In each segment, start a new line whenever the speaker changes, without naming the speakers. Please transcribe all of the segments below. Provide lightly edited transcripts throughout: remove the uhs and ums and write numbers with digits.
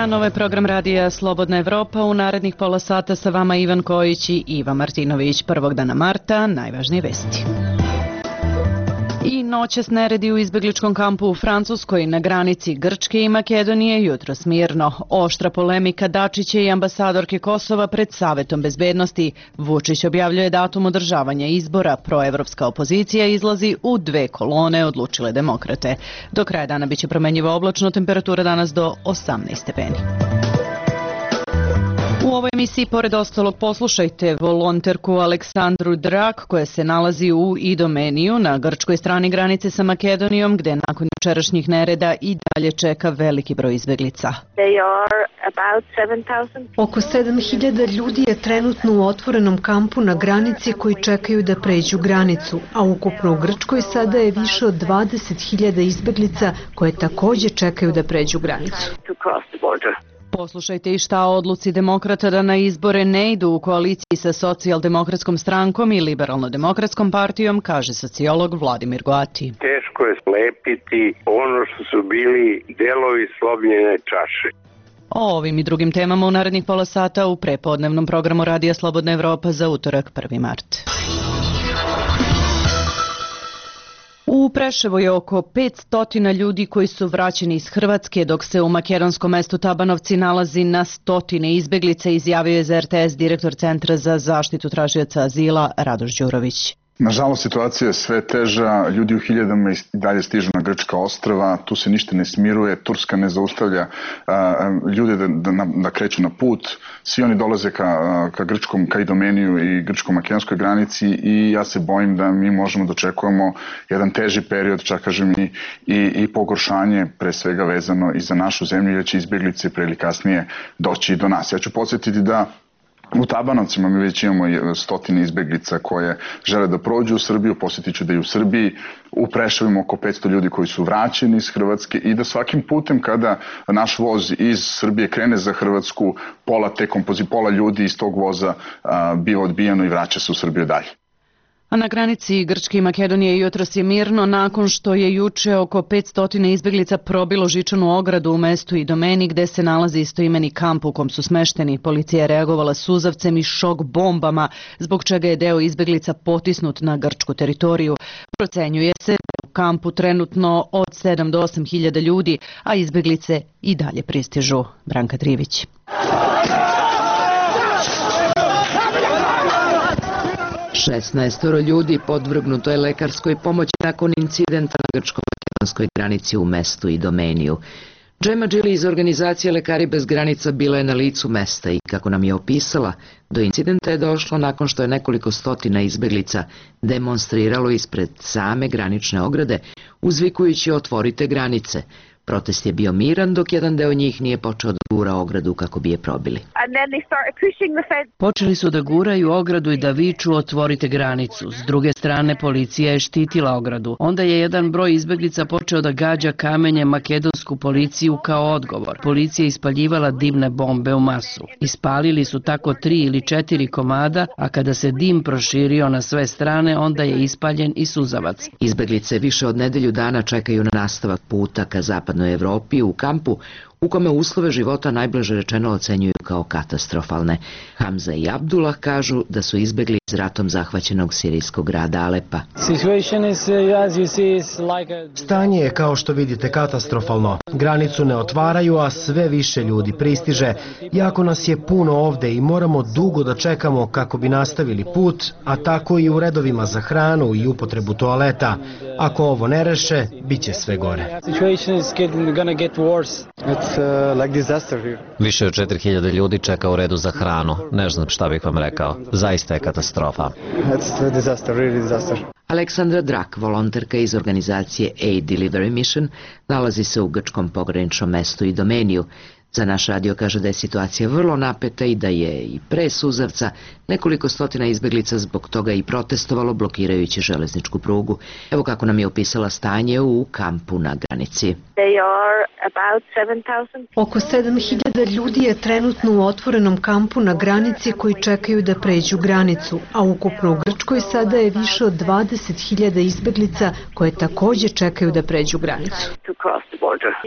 dan, ovo je program radija Slobodna Evropa. U narednih pola sata sa vama Ivan Kojić i Iva Martinović. Prvog dana marta, najvažnije vesti. I noćas neredi u izbegličkom kampu u Francuskoj na granici Grčke i Makedonije jutros mirno. Oštra polemika Dačića i ambasadorke Kosova pred Savetom bezbednosti. Vučić objavljuje datum održavanja izbora. Proevropska opozicija izlazi u dve kolone, odlučile demokrate. Do kraja dana biće promenjiva oblačno, temperatura danas do 18 stepeni. U ovoj emisiji, pored ostalog, poslušajte volonterku Aleksandru Drak, koja se nalazi u Idomeniju na grčkoj strani granice sa Makedonijom, gde nakon jučerašnjih nereda i dalje čeka veliki broj izbeglica.
Oko 7.000 ljudi je trenutno u otvorenom kampu na granici koji čekaju da pređu granicu, a ukupno u Grčkoj sada je više od 20.000 izbeglica koje takođe čekaju da pređu granicu.
Poslušajte i šta o odluci demokrata da na izbore ne idu u koaliciji sa socijaldemokratskom strankom i liberalno-demokratskom partijom, kaže sociolog Vladimir Goati.
Teško je slepiti ono što su bili delovi slomljene čaše.
O ovim i drugim temama u narednih pola sata u prepodnevnom programu Radija Slobodna Evropa za utorak 1. mart. U Preševu je oko 500 ljudi koji su vraćeni iz Hrvatske, dok se u makedonskom mestu Tabanovci nalazi na stotine izbeglica, izjavio je za RTS direktor Centra za zaštitu tražioca azila Radoš Đurović.
Nažalost, situacija je sve teža, ljudi u hiljadama i dalje stižu na grčka ostrva, tu se ništa ne smiruje, Turska ne zaustavlja ljude da kreću na put, svi oni dolaze ka Idomeniju i grčko-makedonskoj granici i ja se bojim da mi možemo da očekujemo jedan teži period, čak kažem i pogoršanje, pre svega vezano i za našu zemlju, jer će izbjeglice pre ili kasnije doći do nas. Ja ću podsjetiti da u Tabanovcima mi već imamo stotine izbeglica koje žele da prođu u Srbiju, posjetit ću da i u Srbiji, u Preševu imamo oko 500 ljudi koji su vraćeni iz Hrvatske i da svakim putem kada naš voz iz Srbije krene za Hrvatsku, pola ljudi iz tog voza biva odbijeno i vraća se u Srbiju dalje.
A na granici Grčke i Makedonije jutros je mirno nakon što je juče oko 500 izbeglica probilo žičanu ogradu u mestu Idomeni gde se nalazi istoimeni kamp u kom su smešteni. Policija je reagovala suzavcem i šok bombama, zbog čega je deo izbeglica potisnut na grčku teritoriju. Procenjuje se da u kampu trenutno od 7 do 8 hiljada ljudi, a izbeglice i dalje pristižu. Branka Trivić.
Šesnaestoro ljudi podvrgnuto je lekarskoj pomoći nakon incidenta na grčko-makedonskoj granici u mestu Idomeniju. Džema Džili iz organizacije Lekari bez granica bila je na licu mesta i, kako nam je opisala, do incidenta je došlo nakon što je nekoliko stotina izbeglica demonstriralo ispred same granične ograde, uzvikujući otvorite granice. Protest je bio miran dok jedan deo njih nije počeo da gura ogradu kako bi je probili.
Počeli su da guraju ogradu i da viču otvorite granicu. S druge strane policija je štitila ogradu. Onda je jedan broj izbeglica počeo da gađa kamenjem makedonsku policiju kao odgovor. Policija je ispaljivala dimne bombe u masu. Ispalili su tako 3 ili 4 komada, a kada se dim proširio na sve strane, onda je ispaljen i suzavac.
Izbeglice više od nedelju dana čekaju na nastavak puta ka zapadnoj Evropi u kampu u kome uslove života najblaže rečeno ocenjuju kao katastrofalne. Hamza i Abdullah kažu da su izbegli iz ratom zahvaćenog sirijskog grada Alepa.
Stanje je, kao što vidite, katastrofalno. Granicu ne otvaraju, a sve više ljudi pristiže. Jako nas je puno ovde i moramo dugo da čekamo kako bi nastavili put, a tako i u redovima za hranu i upotrebu toaleta. Ako ovo ne reše, bit će sve gore.
Više od 4000 ljudi čeka u redu za hranu. Ne znam šta bih vam rekao. Zaista je katastrofa.
Aleksandra Drak, volonterka iz organizacije Aid Delivery Mission, nalazi se u grčkom pograničnom mestu Idomeniju. Za naš radio kaže da je situacija vrlo napeta i da je i pre suzavca nekoliko stotina izbeglica zbog toga i protestovalo blokirajući železničku prugu. Evo kako nam je opisala stanje u kampu na granici.
Oko 7.000 ljudi je trenutno u otvorenom kampu na granici koji čekaju da pređu granicu, a ukupno u Grčkoj sada je više od 20.000 izbeglica koje takođe čekaju da pređu granicu.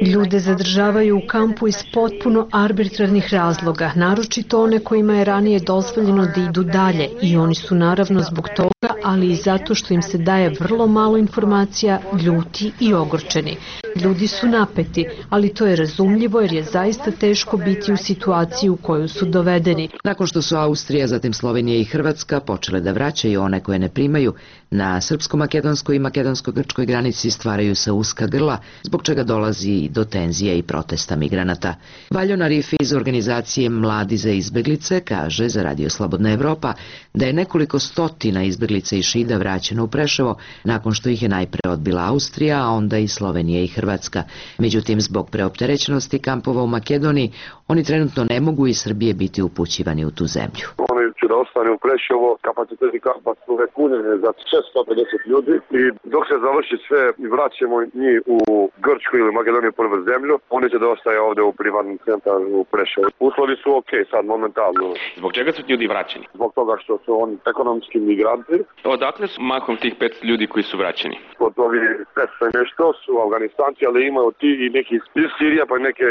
Ljude zadržavaju u kampu iz potpuno arbitrarnih razloga, naročito one kojima je ranije dozvoljeno da idu dalje i oni su naravno zbog toga, ali i zato što im se daje vrlo malo informacija, ljuti i ogorčeni. Ljudi su napeti, ali to je razumljivo jer je zaista teško biti u situaciji u koju su dovedeni.
Nakon što su Austrija, zatim Slovenija i Hrvatska počele da vraćaju one koje ne primaju, na srpsko-makedonskoj i makedonsko-grčkoj granici stvaraju se uska grla, zbog čega dolazi do tenzija i protesta migranata. Valjon Arifi iz organizacije Mladi za izbeglice kaže za Radio Slobodna Evropa da je nekoliko stotina izbeglica i Šida vraćeno u Preševo nakon što ih je najpre odbila Austrija, a onda i Slovenija i Hrvatska. Međutim, zbog preopterećenosti kampova u Makedoniji, oni trenutno ne mogu iz Srbije biti upućivani u tu zemlju.
Oni će da ostane u Preševo, kapaciteti kampa su punjene za 650 ljudi i dok se završi sve i vraćamo njih u Grčku ili Makedoniju prvu zemlju, oni će da ostaje ovde u privatnom centru u Preševu. Uslovi su okej sad momentalno.
Zbog čega su ljudi vraćeni?
Zbog toga što su oni ekonomski migranti.
Odakle su mahom tih 500 ljudi koji su vraćeni?
Od ovih 500 nešto su Afganistanci, ali imaju ti i neki iz Sirija pa neke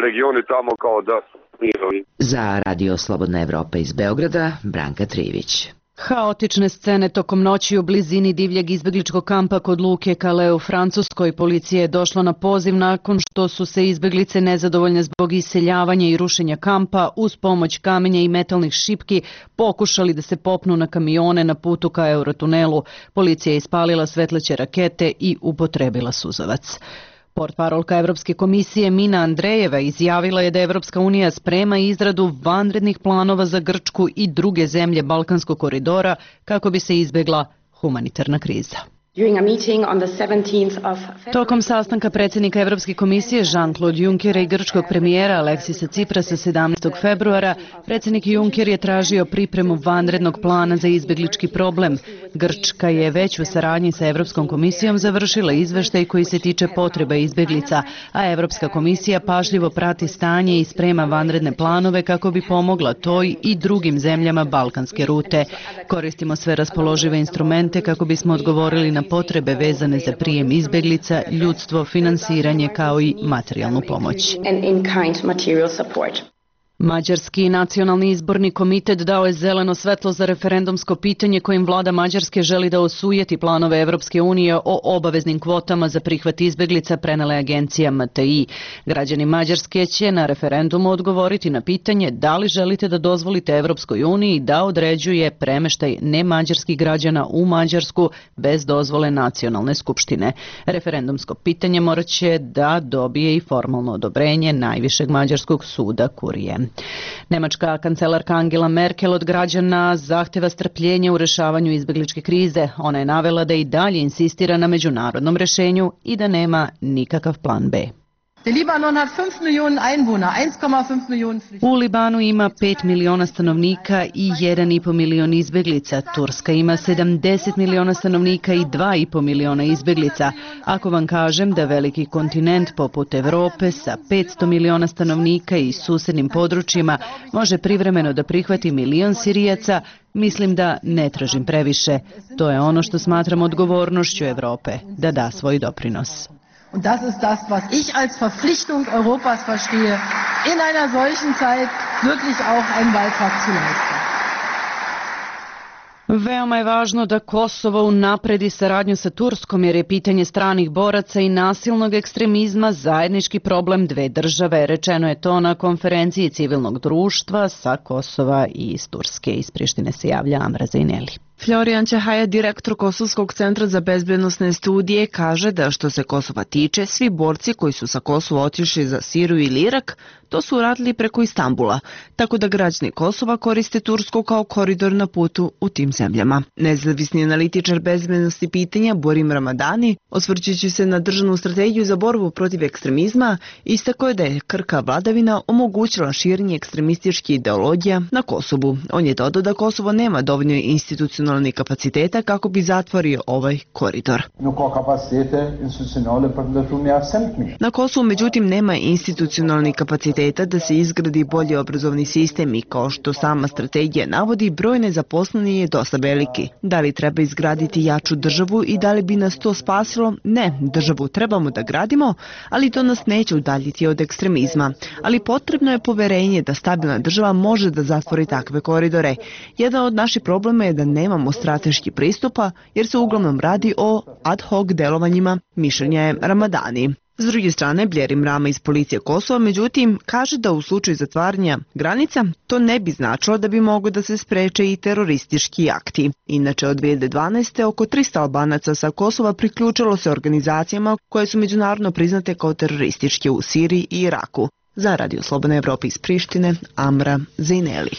regioni tamo kao da su mirovi.
Za Radio Slobodna Evropa iz Beograda, Branka Trivić.
Haotične scene tokom noći u blizini divljeg izbegličkog kampa kod luke Calais u Francuskoj. Policija je došla na poziv nakon što su se izbeglice nezadovoljne zbog iseljavanja i rušenja kampa uz pomoć kamenja i metalnih šipki pokušali da se popnu na kamione na putu ka Eurotunelu. Policija je ispalila svetleće rakete i upotrebila suzavac. Portparolka Evropske komisije Mina Andrejeva izjavila je da Evropska unija sprema izradu vanrednih planova za Grčku i druge zemlje Balkanskog koridora kako bi se izbegla humanitarna kriza. Tokom sastanka predsjednika Evropske komisije Jean-Claude Junckera i grčkog premijera Aleksisa Tsiprasa 17. februara, predsjednik Juncker je tražio pripremu vanrednog plana za izbeglički problem. Grčka je već u saradnji sa Evropskom komisijom završila izveštaj koji se tiče potreba izbeglica, a Evropska komisija pažljivo prati stanje i sprema vanredne planove kako bi pomogla toj i drugim zemljama balkanske rute. Koristimo sve raspoložive instrumente kako bismo odgovorili na potrebe vezane za prijem izbeglica, ljudstvo, finansiranje kao i materijalnu pomoć. Mađarski nacionalni izborni komitet dao je zeleno svetlo za referendumsko pitanje kojim vlada Mađarske želi da osujeti planove Evropske unije o obaveznim kvotama za prihvat izbeglica, prenele agencija MTI. Građani Mađarske će na referendumu odgovoriti na pitanje da li želite da dozvolite Evropskoj uniji da određuje premeštaj nemađarskih građana u Mađarsku bez dozvole nacionalne skupštine. Referendumsko pitanje morat će da dobije i formalno odobrenje najvišeg mađarskog suda Kurije. Nemačka kancelarka Angela Merkel od građana zahteva strpljenje u rešavanju izbegličke krize. Ona je navela da i dalje insistira na međunarodnom rešenju i da nema nikakav plan B. U Libanu ima 5 miliona stanovnika i 1,5 milion izbeglica. Turska ima 70 miliona stanovnika i 2,5 miliona izbeglica. Ako vam kažem da veliki kontinent poput Evrope sa 500 miliona stanovnika i susednim područjima može privremeno da prihvati milion Sirijaca, mislim da ne tražim previše. To je ono što smatram odgovornošću Evrope, da da svoj doprinos.
Und das ist das, was ich als Verpflichtung Europas verstehe, in einer solchen Zeit wirklich auch einen Beitrag zu leisten.
Veoma je važno da Kosovo unapredi saradnju sa Turskom jer je pitanje stranih boraca i nasilnog ekstremizma zajednički problem dve države. Rečeno je to na konferenciji civilnog društva sa Kosova i iz Turske. Iz Prištine se javlja Amra Zajneli.
Florijan Ćahaja, direktor Kosovskog centra za bezbednosne studije, kaže da što se Kosova tiče, svi borci koji su sa Kosova otišli za Siriju ili Irak, to su uradili preko Istambula, tako da građani Kosova koriste Tursku kao koridor na putu u tim zemljama. Nezavisni analitičar bezbednosti pitanja Borim Ramadani, osvrćući se na državnu strategiju za borbu protiv ekstremizma, istakao je da je krka vladavina omogućila širenje ekstremističkih ideologija na Kosovu. On je dodao da Kosovo nema dovoljno institucionalno institucionalnih kapaciteta kako bi zatvorio ovaj koridor. Na Kosovu međutim nema institucionalnih kapaciteta da se izgradi bolji obrazovni sistem i kao što sama strategija navodi, broj nezaposlenih je dosta veliki. Da li treba izgraditi jaču državu i da li bi nas to spasilo? Ne, državu trebamo da gradimo, ali to nas neće udaljiti od ekstremizma. Ali potrebno je poverenje da stabilna država može da zatvori takve koridore. Jedan od naših problema je da nemamo strateški pristupa jer se uglavnom radi o ad hoc delovanjima, mišljenja je Ramadani. S druge strane, Bljerim Rama iz policije Kosova, međutim, kaže da u slučaju zatvaranja granica to ne bi značilo da bi moglo da se spreče i teroristički akti. Inače, od 2012. oko 300 Albanaca sa Kosova priključilo se organizacijama koje su međunarodno priznate kao terorističke u Siriji i Iraku. Za Radio Slobodna Evropa iz Prištine, Amra Zejneli.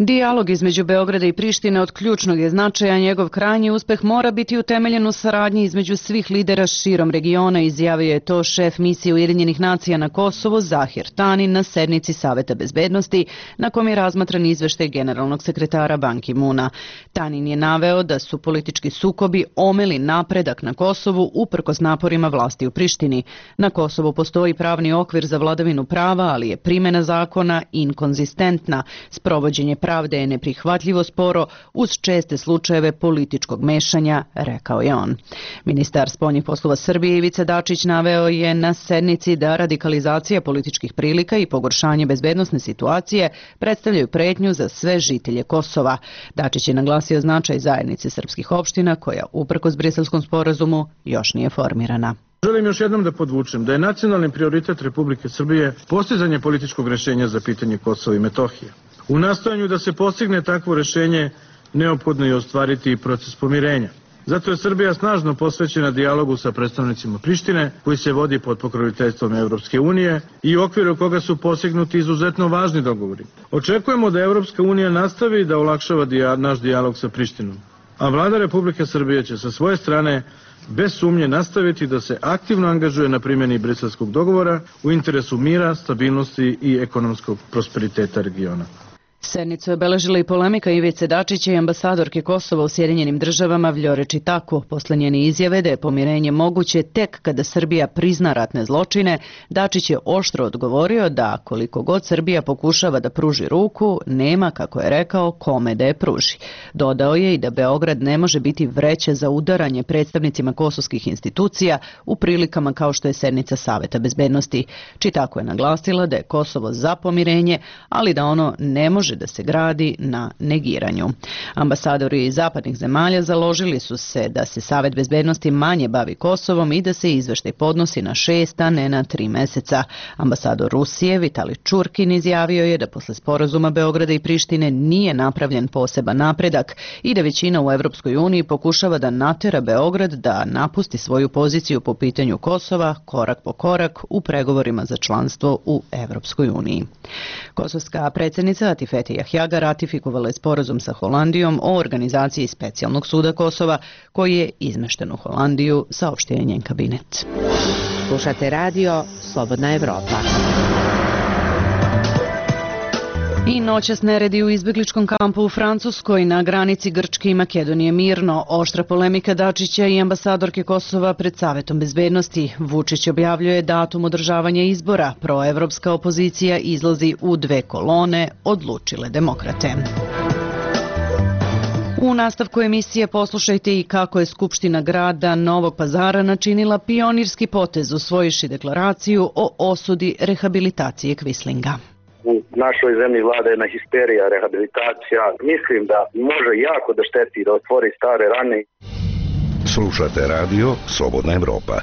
Dijalog između Beograda i Prištine od ključnog je značaja, njegov krajnji uspeh mora biti utemeljen u saradnji između svih lidera širom regiona, izjavio je to šef misije Ujedinjenih nacija na Kosovu Zahir Tani na sednici Saveta bezbednosti na kom je razmatran izveštaj generalnog sekretara Ban Ki-moona. Tanin je naveo da su politički sukobi omeli napredak na Kosovu uprkos naporima vlasti u Prištini. Na Kosovu postoji pravni okvir za vladavinu prava, ali je primjena zakona inkonzistentna. Sprovođenje pravde je neprihvatljivo sporo uz česte slučajeve političkog mešanja, rekao je on. Ministar spoljnih poslova Srbije Ivica Dačić naveo je na sednici da radikalizacija političkih prilika i pogoršanje bezbednosne situacije predstavljaju pretnju za sve žitelje Kosova. Dačić je naglasio značaj zajednice srpskih opština koja uprkos Briselskom sporazumu još nije formirana.
Želim još jednom da podvučem da je nacionalni prioritet Republike Srbije postizanje političkog rešenja za pitanje Kosova i Metohije. U nastojanju da se postigne takvo rešenje neophodno je ostvariti i proces pomirenja. Zato je Srbija snažno posvećena dijalogu sa predstavnicima Prištine koji se vodi pod pokroviteljstvom Evropske unije i u okviru koga su postignuti izuzetno važni dogovori. Očekujemo da Evropska unija nastavi da olakšava naš dijalog sa Prištinom, a vlada Republike Srbije će sa svoje strane bez sumnje nastaviti da se aktivno angažuje na primjeni Briselskog dogovora u interesu mira, stabilnosti i ekonomskog prosperiteta regiona.
Sednicu je obeležila i polemika Ivice Dačića i ambasadorke Kosova u Sjedinjenim državama Vljore Čitaku. Posle njene izjave da je pomirenje moguće tek kada Srbija prizna ratne zločine, Dačić je oštro odgovorio da koliko god Srbija pokušava da pruži ruku, nema, kako je rekao, kome da je pruži. Dodao je i da Beograd ne može biti vreća za udaranje predstavnicima kosovskih institucija u prilikama kao što je sednica Saveta bezbednosti. Čitaku je naglasila da je Kosovo za pomirenje, ali da ono ne može da se gradi na negiranju. Ambasadori iz zapadnih zemalja založili su se da se Savet bezbednosti manje bavi Kosovom i da se izveštaj podnosi na 6, a ne na 3 meseca. Ambasador Rusije Vitali Čurkin izjavio je da posle sporazuma Beograda i Prištine nije napravljen poseban napredak i da većina u Evropskoj uniji pokušava da natera Beograd da napusti svoju poziciju po pitanju Kosova korak po korak u pregovorima za članstvo u Evropskoj uniji. Kosovska predsjednica Atifete Jahjaga ratifikovala je sporazum sa Holandijom o organizaciji specijalnog suda Kosova koji je izmešten u Holandiju, saopštio je njen kabinet.
Slušate radio Slobodna Evropa.
I noćas neredi u izbegličkom kampu u Francuskoj na granici Grčke i Makedonije mirno. Oštra polemika Dačića i ambasadorke Kosova pred Savetom bezbednosti. Vučić objavljuje datum održavanja izbora. Proevropska opozicija izlazi u 2 kolone, odlučile demokrate. U nastavku emisije poslušajte i kako je Skupština grada Novog Pazara načinila pionirski potez usvojivši deklaraciju o osudi rehabilitacije Kvislinga.
U našoj zemlji vlada jedna histerija, rehabilitacija. Mislim da može jako da šteti da otvori stare rane.
Slušate radio Slobodna Evropa.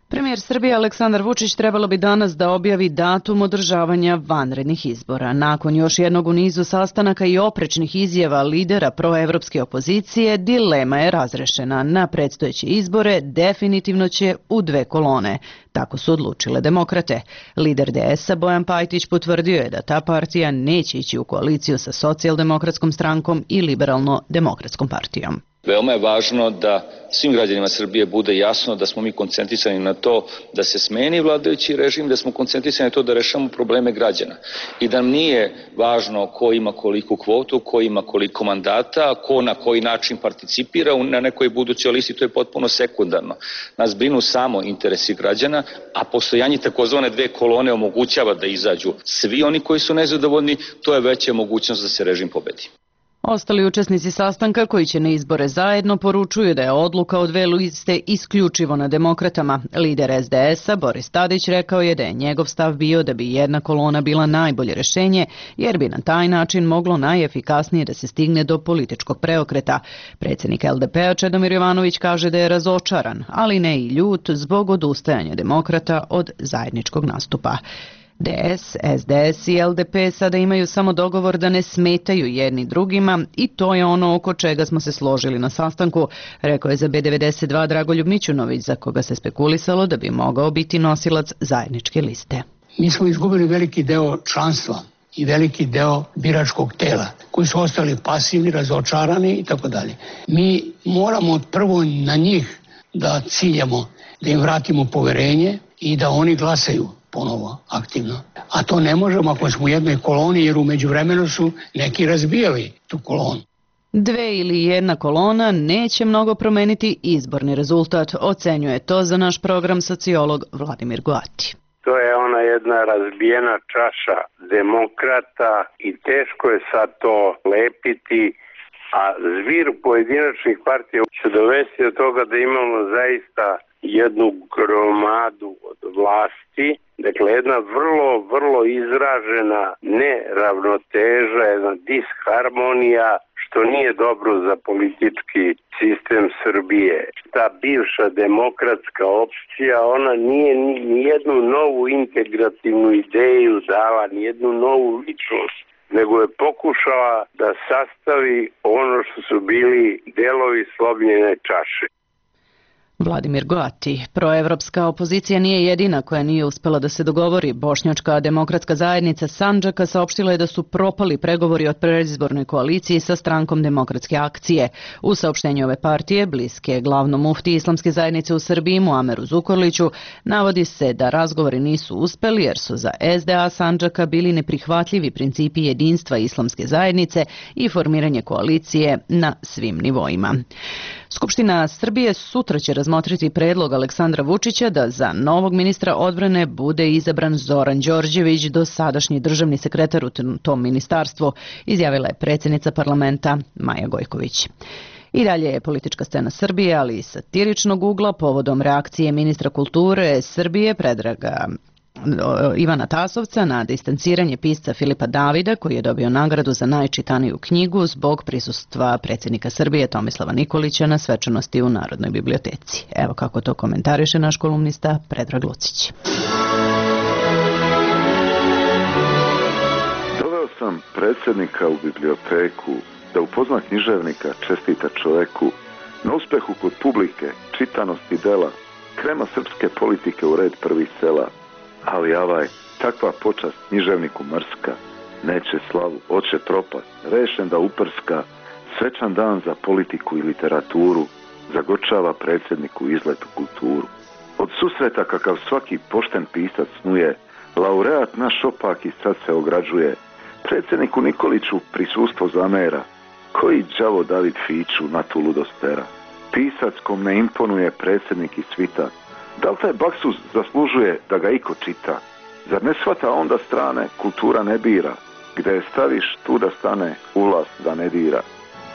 Premijer Srbije Aleksandar Vučić trebalo bi danas da objavi datum održavanja vanrednih izbora. Nakon još jednog u nizu sastanaka i oprečnih izjava lidera proevropske opozicije, dilema je razrešena. Na predstojeće izbore definitivno će u 2 kolone. Tako su odlučile demokrate. Lider DS-a Bojan Pajtić potvrdio je da ta partija neće ići u koaliciju sa socijaldemokratskom strankom i liberalno-demokratskom partijom.
Veoma je važno da svim građanima Srbije bude jasno da smo mi koncentrisani na to da se smeni vladajući režim, da smo koncentrisani na to da rešamo probleme građana i da nam nije važno ko ima koliku kvotu, ko ima koliko mandata, ko na koji način participira na nekoj budućoj listi, to je potpuno sekundarno. Nas brinu samo interesi građana, a postojanje takozvane dve kolone omogućava da izađu svi oni koji su nezadovoljni, to je veća mogućnost da se režim pobedi.
Ostali učesnici sastanka koji će na izbore zajedno poručuju da je odluka o dve liste isključivo na demokratama. Lider SDS-a Boris Tadić rekao je da je njegov stav bio da bi jedna kolona bila najbolje rešenje jer bi na taj način moglo najefikasnije da se stigne do političkog preokreta. Predsjednik LDP-a Čedomir Jovanović kaže da je razočaran, ali ne i ljut zbog odustajanja demokrata od zajedničkog nastupa. DS, SDS i LDP sada imaju samo dogovor da ne smetaju jedni drugima i to je ono oko čega smo se složili na sastanku, rekao je za B92 Dragoljub Mićunović, za koga se spekulisalo da bi mogao biti nosilac zajedničke liste.
Mi smo izgubili veliki deo članstva i veliki deo biračkog tela, koji su ostali pasivni, razočarani i tako dalje. Mi moramo prvo na njih da ciljamo, da im vratimo poverenje i da oni glasaju ponovo aktivno. A to ne možemo ako smo u jednoj koloni, jer u međuvremenu su neki razbijali tu kolonu.
Dve ili jedna kolona neće mnogo promeniti izborni rezultat, ocenjuje to za naš program sociolog Vladimir Goati.
To je ona jedna razbijena čaša demokrata i teško je sad to lepiti, a zvir pojedinačnih partija će dovesti do toga da imamo zaista jednu gromadu od vlasti, dakle jedna vrlo izražena neravnoteža, jedna disharmonija, što nije dobro za politički sistem Srbije. Ta bivša demokratska opcija, ona nije ni jednu novu integrativnu ideju dala, ni jednu novu ličnost, nego je pokušala da sastavi ono što su bili delovi slomljene čaše.
Vladimir Goati. Proevropska opozicija nije jedina koja nije uspela da se dogovori. Bošnjačka demokratska zajednica Sandžaka saopštila je da su propali pregovori o predizbornoj koaliciji sa strankom Demokratske akcije. U saopštenju ove partije, bliske glavnom mufti islamske zajednice u Srbiji Muameru Zukorliću, navodi se da razgovori nisu uspeli jer su za SDA Sandžaka bili neprihvatljivi principi jedinstva islamske zajednice i formiranje koalicije na svim nivoima. Skupština Srbije sutra će razmotriti predlog Aleksandra Vučića da za novog ministra odbrane bude izabran Zoran Đorđević, dosadašnji državni sekretar u tom ministarstvu, izjavila je predsjednica parlamenta Maja Gojković. I dalje je politička scena Srbije, ali i satiričnog ugla povodom reakcije ministra kulture Srbije Predraga Ivana Tasovca na distanciranje pisca Filipa Davida, koji je dobio nagradu za najčitaniju knjigu zbog prisustva predsjednika Srbije Tomislava Nikolića na svečanosti u Narodnoj biblioteci. Evo kako to komentariše naš kolumnista Predrag Lucić.
Doveo sam predsjednika u biblioteku da upozna književnika, čestita čoveku, na uspehu kod publike, čitanosti dela, krema srpske politike u red prvih sela. Ali takva počast književniku mrska, neće slavu, oće propast, rešen da uprska, svečan dan za politiku i literaturu, zagorčava predsjedniku izlet u kulturu. Od susreta kakav svaki pošten pisac snuje, laureat naš opak i sad se ograđuje, predsjedniku Nikoliću prisustvo zamera, koji đavo David Fiću na tu ludost tera. Pisac kom ne imponuje predsjednik i svita, da li taj baksuz zaslužuje da ga iko čita? Zar ne shvata onda strane, kultura ne bira, gde je staviš tu da stane, ulaz da ne dira.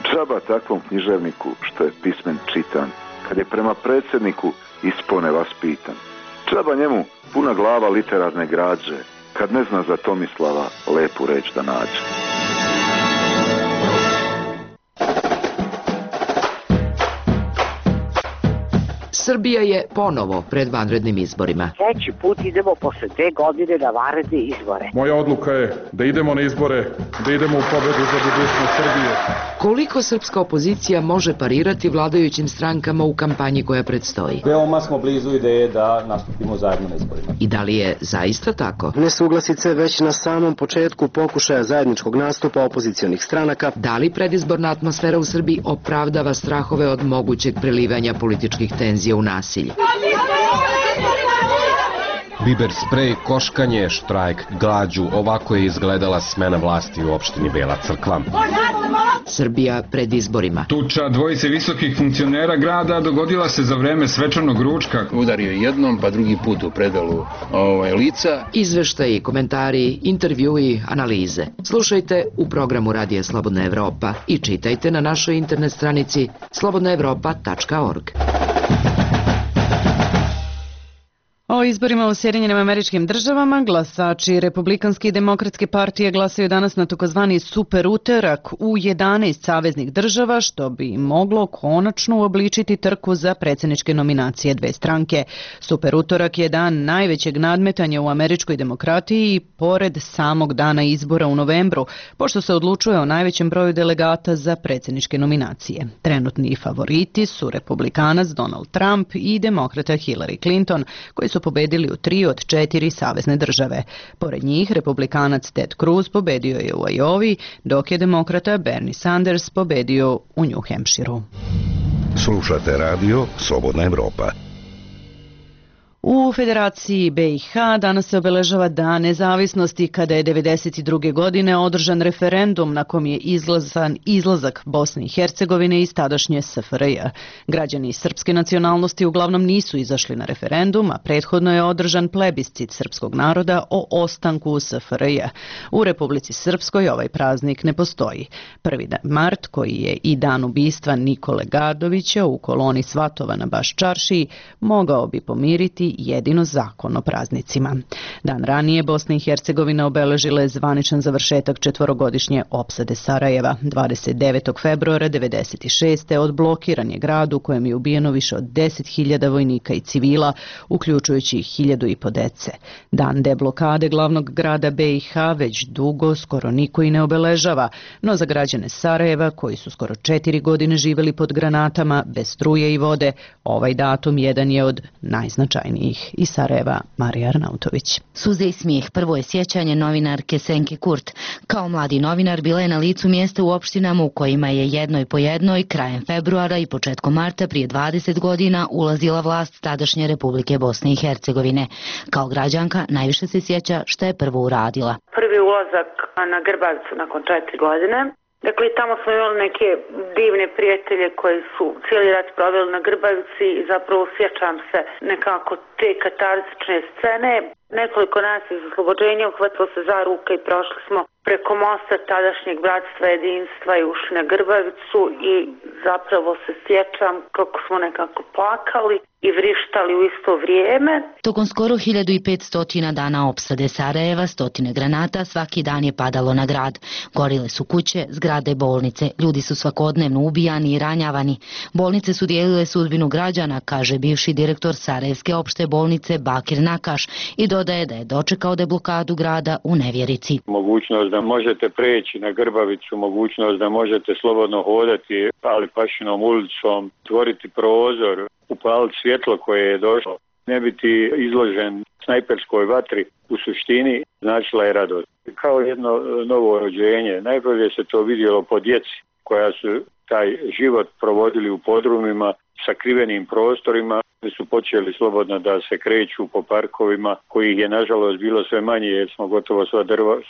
Džaba takvom književniku što je pismen čitan, kad je prema predsjedniku ispone vaspitan. Džaba njemu puna glava literarne građe, kad ne zna za Tomislava lepu reč da nađe.
Srbija je ponovo pred vanrednim izborima.
Treći put idemo posle 2 godine na vanredne izbore.
Moja odluka je da idemo na izbore, da idemo u pobedu za budućnost Srbije.
Koliko srpska opozicija može parirati vladajućim strankama u kampanji koja predstoji?
Veoma smo blizu ideje da nastupimo zajedno na izborima.
I da li je zaista tako?
Nesuglasice već na samom početku pokušaja zajedničkog nastupa opozicionih stranaka.
Da li predizborna atmosfera u Srbiji opravdava strahove od mogućeg prelivanja političkih tenzija u nasilje?
Biber sprej, koškanje, štrajk, glađu, ovako je izgledala smena vlasti u opštini Bela Crkva.
Srbija pred izborima.
Tuča dvojice visokih funkcionera grada dogodila se za vreme svečanog ručka.
Udario jednom, pa drugi put u predalu lica.
Izveštaji, komentari, intervjui, analize. Slušajte u programu Radija Slobodna Evropa i čitajte na našoj internet stranici slobodnaevropa.org.
O izborima u Sjedinjenim Američkim Državama glasači Republikanske i Demokratske partije glasaju danas na takozvani super utorak u 11 saveznih država, što bi moglo konačno uobličiti trku za predsjedničke nominacije dve stranke. Super utorak je dan najvećeg nadmetanja u američkoj demokratiji pored samog dana izbora u novembru, pošto se odlučuje o najvećem broju delegata za predsjedničke nominacije. Trenutni favoriti su republikanac Donald Trump i demokrata Hillary Clinton, koji su pobedili u 3 od 4 savezne države. Pored njih, republikanac Ted Cruz pobedio je u Iowi, dok je demokrata Bernie Sanders pobedio u New Hampshireu.
Slušate radio Slobodna Evropa.
U Federaciji BiH danas se obeležava Dan nezavisnosti kada je 1992. godine održan referendum na kom je izglasan izlazak Bosne i Hercegovine iz tadašnje SFRJ. Građani srpske nacionalnosti uglavnom nisu izašli na referendum, a prethodno je održan plebiscit srpskog naroda o ostanku u SFRJ. U Republici Srpskoj ovaj praznik ne postoji. 1. mart, koji je i dan ubistva Nikole Gardovića u koloni Svatova na Baščaršiji, mogao bi pomiriti jedino zakon o praznicima. Dan ranije Bosna i Hercegovina obeležila je zvaničan završetak 4-godišnje opsade Sarajeva. 29. februara 1996. odblokiran je grad u kojem je ubijeno više od 10.000 vojnika i civila, uključujući 1.500 dece. Dan deblokade glavnog grada BiH već dugo skoro niko i ne obeležava, no za građane Sarajeva, koji su skoro 4 godine živjeli pod granatama, bez struje i vode, ovaj datum jedan je od najznačajnijih. Iz Sarajeva, Marija Arnautović.
Suze i smijeh, prvo je sjećanje novinarke Senke Kurt. Kao mladi novinar bila je na licu mjesta u opštinama u kojima je jednoj po jednoj krajem februara i početkom marta prije 20 godina ulazila vlast tadašnje Republike Bosne i Hercegovine. Kao građanka najviše se sjeća što je prvo uradila.
Prvi ulazak na Grbavicu nakon 4 godine. Dakle, tamo smo imali neke divne prijatelje koji su cijeli rat proveli na Grbavici i zapravo sjećam se nekako te katarzične scene. Nekoliko nas iz oslobođenja uhvatilo se za ruke i prošli smo preko mosta tadašnjeg bratstva jedinstva i ušli na Grbavicu i zapravo se sjećam kako smo nekako plakali i vrištali u isto vrijeme.
Tokom skoro 1500 dana opsade Sarajeva, stotine granata svaki dan je padalo na grad. Gorile su kuće, zgrade, bolnice. Ljudi su svakodnevno ubijani i ranjavani. Bolnice su dijelile sudbinu građana, kaže bivši direktor Sarajevske opšte bolnice Bakir Nakaš i dodaje da je dočekao deblokadu grada u nevjerici.
Mogućnost da možete preći na Grbavicu, mogućnost da možete slobodno hodati Alipašinom ulicom, tvoriti prozor, upaliti svjetlo koje je došlo, ne biti izložen snajperskoj vatri, u suštini značila je radost. Kao jedno novo rođenje, najbolje se to vidjelo po djeci koja su taj život provodili u podrumima, sakrivenim prostorima, gdje su počeli slobodno da se kreću po parkovima, kojih je nažalost bilo sve manje jer smo gotovo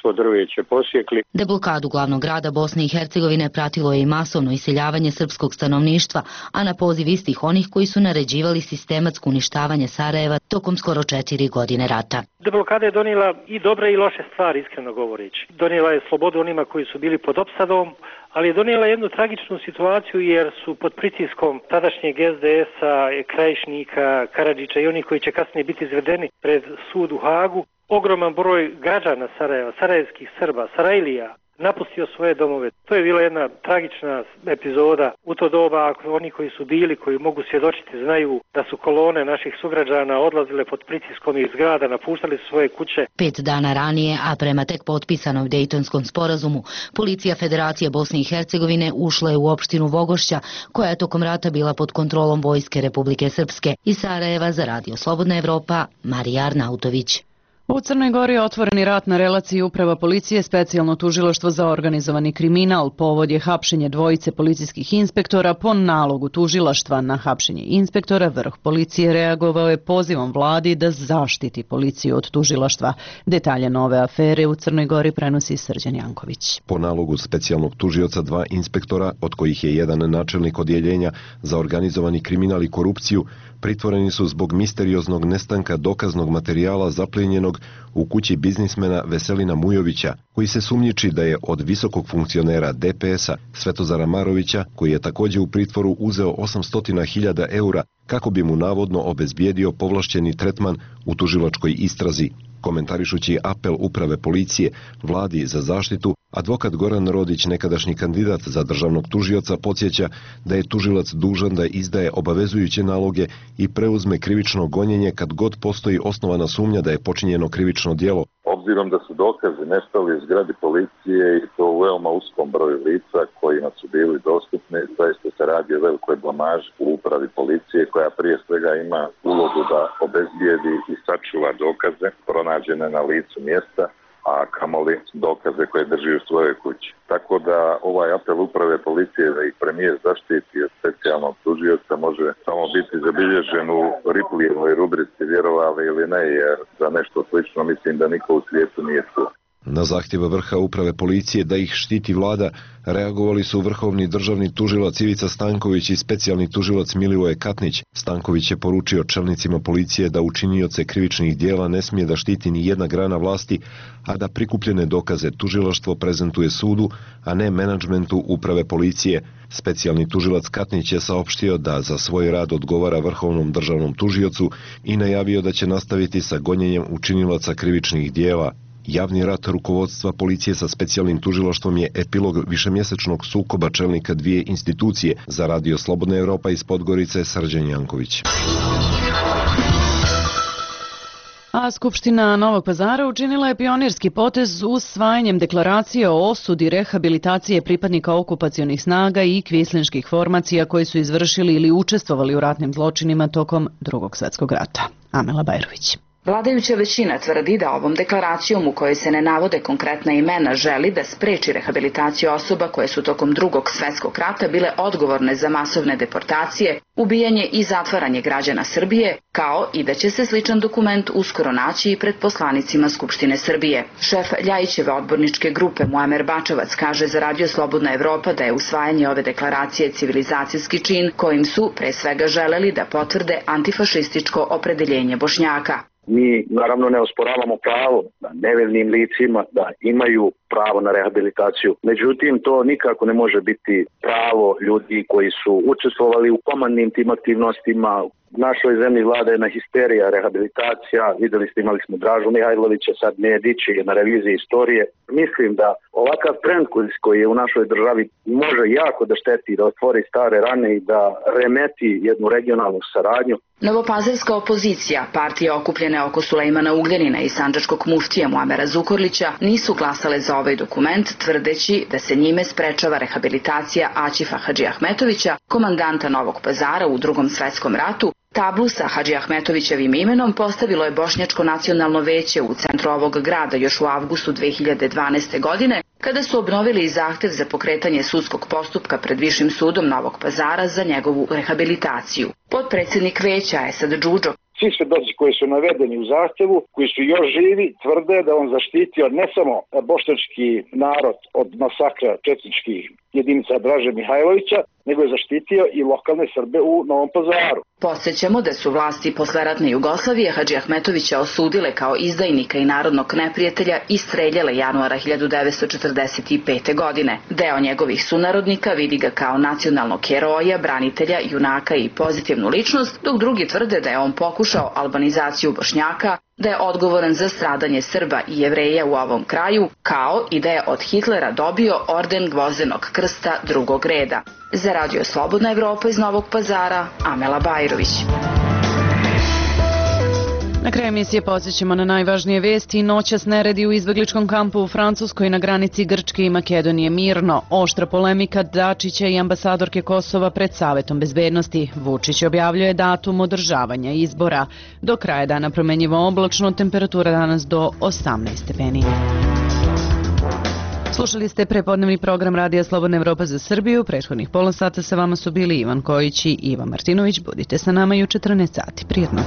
svo drveće posjekli.
Deblokadu glavnog grada Bosne i Hercegovine pratilo je i masovno iseljavanje srpskog stanovništva, a na poziv istih onih koji su naređivali sistematsko uništavanje Sarajeva tokom skoro 4 godine rata.
Deblokada je donijela i dobre i loše stvari, iskreno govoreći. Donijela je slobodu onima koji su bili pod opsadom, ali je donijela jednu tragičnu situaciju jer su pod pritiskom tadašnjeg SDS-a, Krajišnika, Karadžića i oni koji će kasnije biti izvedeni pred sud u Hagu, ogroman broj građana Sarajeva, sarajevskih Srba, Sarajlija, napustio svoje domove. To je bila jedna tragična epizoda. U to doba, ako oni koji su bili, koji mogu svjedočiti, znaju da su kolone naših sugrađana odlazile pod pritiskom iz zgrada, napuštali su svoje kuće.
5 dana ranije, a prema tek potpisanom Dejtonskom sporazumu, policija Federacije Bosne i Hercegovine ušla je u opštinu Vogošća, koja je tokom rata bila pod kontrolom Vojske Republike Srpske. Iz Sarajeva za Radio Slobodna Evropa, Marija Arnautović.
U Crnoj Gori je otvoreni rat na relaciji Uprava policije, specijalno tužilaštvo za organizovani kriminal. Povod je hapšenje dvojice policijskih inspektora. Po nalogu tužilaštva na hapšenje inspektora, vrh policije reagovao je pozivom vladi da zaštiti policiju od tužilaštva. Detalje nove afere u Crnoj Gori prenosi Srđan Janković.
Po nalogu specijalnog tužioca 2 inspektora, od kojih je jedan načelnik odjeljenja za organizovani kriminal i korupciju, pritvoreni su zbog misterioznog nestanka dokaznog materijala zaplijenjenog u kući biznismena Veselina Mujovića, koji se sumnjiči da je od visokog funkcionera DPS-a Svetozara Marovića, koji je također u pritvoru, uzeo 800.000 eura kako bi mu navodno obezbijedio povlašćeni tretman u tužilačkoj istrazi. Komentarišući apel Uprave policije vladi za zaštitu, advokat Goran Rodić, nekadašnji kandidat za državnog tužioca, podsjeća da je tužilac dužan da izdaje obavezujuće naloge i preuzme krivično gonjenje kad god postoji osnovana sumnja da je počinjeno krivično djelo.
Obzirom da su dokazi nestali iz zgradi policije i to u veoma uskom broju lica kojima su bili dostupni, zaista se radi o velikoj blamaži u Upravi policije, koja prije svega ima ulogu da obezbijedi i sačuva dokaze pronađene na licu mjesta, a kamoli dokaze koje drži u svojoj kući. Tako da ovaj apel Uprave policije da ih premijer zaštiti od specijalnog tužioca može samo biti zabilježen u Riplijevoj rubrici vjerovali ili ne, jer za nešto slično mislim da niko u svijetu nije čuo.
Na zahtjev vrha Uprave policije da ih štiti vlada reagovali su vrhovni državni tužilac Ivica Stanković i specijalni tužilac Milivoje Katnić. Stanković je poručio čelnicima policije da učinioce krivičnih dijela ne smije da štiti ni jedna grana vlasti, a da prikupljene dokaze tužilaštvo prezentuje sudu, a ne menadžmentu Uprave policije. Specijalni tužilac Katnić je saopštio da za svoj rad odgovara vrhovnom državnom tužiocu i najavio da će nastaviti sa gonjenjem učinilaca krivičnih dijela. Javni rat rukovodstva policije sa specijalnim tužilaštvom je epilog višemjesečnog sukoba čelnika dvije institucije. Za Radio Slobodna Evropa iz Podgorice, Srđan Janković.
A Skupština Novog Pazara učinila je pionirski potez usvajanjem deklaracije o osudi rehabilitacije pripadnika okupacionih snaga i kvislinških formacija koji su izvršili ili učestvovali u ratnim zločinima tokom Drugog svjetskog rata. Amela Bajrović.
Vladajuća većina tvrdi da ovom deklaracijom, u kojoj se ne navode konkretna imena, želi da spreči rehabilitaciju osoba koje su tokom Drugog svjetskog rata bile odgovorne za masovne deportacije, ubijanje i zatvaranje građana Srbije, kao i da će se sličan dokument uskoro naći i pred poslanicima Skupštine Srbije. Šef Ljajićeve odborničke grupe Muamer Bačevac kaže za Radio Slobodna Evropa da je usvajanje ove deklaracije civilizacijski čin kojim su pre svega želeli da potvrde antifašističko opredeljenje Bošnjaka.
Mi naravno ne osporavamo pravo da nevinim licima da imaju pravo na rehabilitaciju. Međutim, to nikako ne može biti pravo ljudi koji su učestvovali u komandnim tim aktivnostima. U našoj zemlji vlada jedna histerija, rehabilitacija. Vidjeli ste, imali smo Dražu Mihajlovića, sad Nedić je na reviziji istorije. Mislim da ovakav trend koji je u našoj državi može jako da šteti, da otvori stare rane i da remeti jednu regionalnu saradnju.
Novopazarska opozicija, partija okupljene oko Sulejmana Ugljanina i sandžačkog muftija Muamera Zukorlića, nisu glasale za ovaj dokument, tvrdeći da se njime sprečava rehabilitacija Aćifa Hadžiahmetovića, komandanta Novog Pazara u Drugom svjetskom ratu. Tablu sa Hadžiahmetovićevim imenom postavilo je Bošnjačko nacionalno veće u centru ovog grada još u avgustu 2012. godine, kada su obnovili zahtev za pokretanje sudskog postupka pred Višim sudom Novog Pazara za njegovu rehabilitaciju. Potpredsjednik veća Esad Džudžo.
Svi svedoci koji su navedeni u zahtjevu, koji su još živi, tvrde da on zaštitio ne samo bošnjački narod od masakra četničkih jedinica Draže Mihajlovića, nego je zaštitio i lokalne Srbe u Novom Pazaru.
Podsjećamo da su vlasti posleratne Jugoslavije Hadžiahmetovića osudile kao izdajnika i narodnog neprijatelja i streljale januara 1945. godine. Deo njegovih sunarodnika vidi ga kao nacionalnog heroja, branitelja, junaka i pozitivnu ličnost, dok drugi tvrde da je on pokušao pokušao albanizaciju Bošnjaka, da je odgovoran za stradanje Srba i Jevreja u ovom kraju, kao i da je od Hitlera dobio orden Gvozdenog krsta drugog reda. Za Radio Slobodna Evropa iz Novog Pazara, Amela Bajrović.
Na kraju emisije podsjećamo na najvažnije vesti. Noćas neredi u izbegličkom kampu u Francuskoj na granici Grčke i Makedonije mirno. Oštra polemika Dačića i ambasadorke Kosova pred Savetom bezbednosti. Vučić objavljuje datum održavanja izbora. Do kraja dana promenjivo oblačno, temperatura danas do 18 stepeni. Slušali ste prepodnevni program Radija Slobodna Evropa za Srbiju. Prethodnih pola sata sa vama su bili Ivan Kojić i Iva Martinović. Budite sa nama i u 14 sati. Prijetno.